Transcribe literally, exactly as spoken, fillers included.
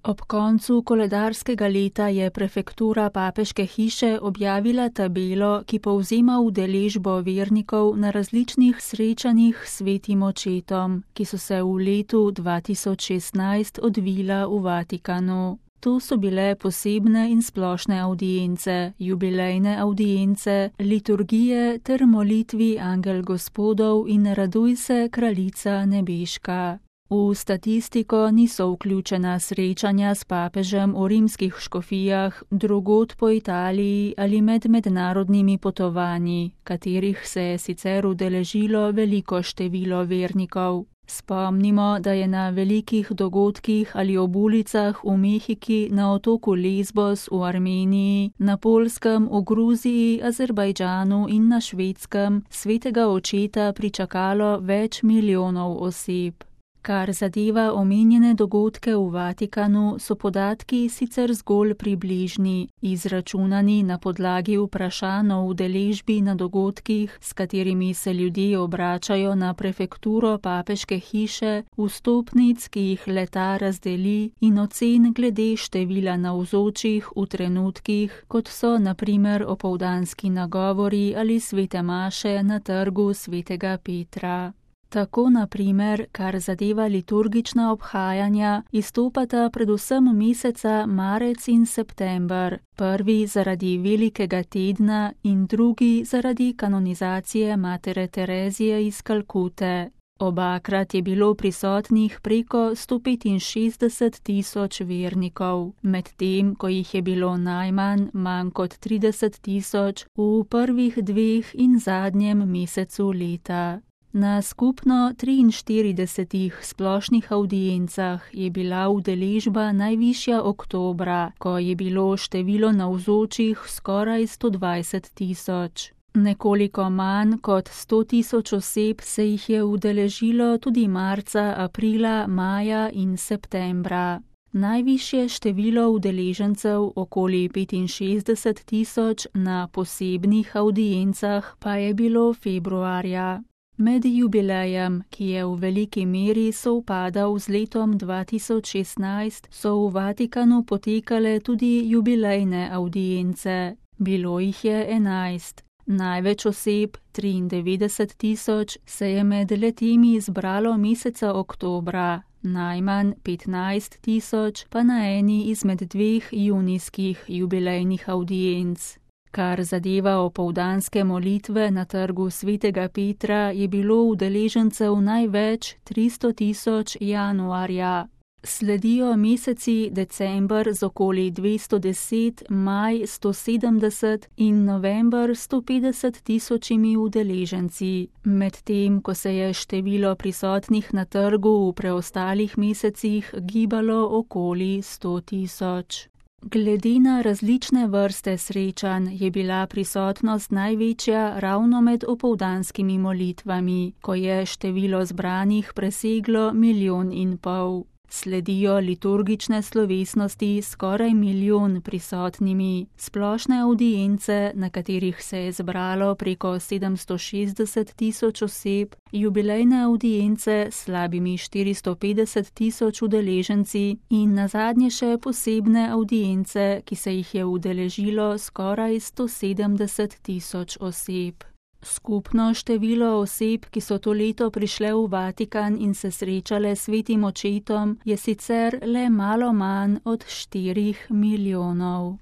Ob koncu koledarskega leta je prefektura papeške hiše objavila tabelo, ki povzema udeležbo vernikov na različnih srečanjih s svetim očetom, ki so se v letu dva tisoč šestnajst odvila v Vatikanu. To so bile posebne in splošne avdience, jubilejne avdience, liturgije ter molitvi Angel Gospodov in Raduj se, Kraljica nebeška. V statistiko niso vključena srečanja s papežem v rimskih škofijah, drugod po Italiji ali med mednarodnimi potovanji, katerih se je sicer udeležilo veliko število vernikov. Spomnimo, da je na velikih dogodkih ali ob ulicah v Mehiki, na otoku Lesbos v Armeniji, na Poljskem, v Gruziji, Azerbajdžanu in na Švedskem svetega očeta pričakalo več milijonov oseb. Kar zadeva omenjene dogodke v Vatikanu, so podatki sicer zgolj približni, izračunani na podlagi vprašanj o udeležbi na dogodkih, s katerimi se ljudje obračajo na prefekturo papeške hiše, vstopnic, ki jih leta razdeli, in ocen glede števila navzočih v trenutkih, kot so na primer opoldanski nagovori ali svete maše na trgu svetega Petra. Tako, na primer, kar zadeva liturgična obhajanja, izstopata predvsem meseca marec in september, prvi zaradi velikega tedna in drugi zaradi kanonizacije matere Terezije iz Kalkute. Obakrat je bilo prisotnih preko sto petinšestdeset tisoč vernikov, medtem ko jih je bilo najmanj, manj kot trideset tisoč, v prvih dveh in zadnjem mesecu leta. Na skupno triinštiridesetih splošnih avdiencah je bila udeležba najvišja oktobra, ko je bilo število navzočih skoraj sto dvajset tisoč. Nekoliko manj kot sto tisoč oseb se jih je udeležilo tudi marca, aprila, maja in septembra. Najvišje število udeležencev, okoli petinšestdeset tisoč, na posebnih avdiencah pa je bilo februarja. Med jubilejem, ki je v veliki meri sovpadal z letom dva tisoč šestnajst, so v Vatikanu potekale tudi jubilejne avdience. Bilo jih je enajst. Največ oseb, triindevetdeset tisoč, se je med letimi zbralo meseca oktobra, najmanj petnajst tisoč pa na eni izmed dveh junijskih jubilejnih avdienc. Kar zadeva opoldanske molitve na trgu svetega Petra, je bilo udeležencev največ tristo tisoč januarja. Sledijo meseci december z okoli dvesto deset, maj sto sedemdeset in november sto petdeset tisočimi udeleženci, medtem ko se je število prisotnih na trgu v preostalih mesecih gibalo okoli sto tisoč. Glede na različne vrste srečanj je bila prisotnost največja ravno med opoldanskimi molitvami, ko je število zbranih preseglo milijon in pol. Sledijo liturgične slovesnosti s skoraj milijon prisotnimi, splošne avdience, na katerih se je zbralo preko sedemsto šestdeset tisoč oseb, jubilejne avdience s slabimi štiristo petdeset tisoč udeleženci in nazadnje še posebne avdience, ki se jih je udeležilo skoraj sto sedemdeset tisoč oseb. Skupno število oseb, ki so to leto prišle v Vatikan in se srečale s svetim očetom, je sicer le malo manj od štirih milijonov.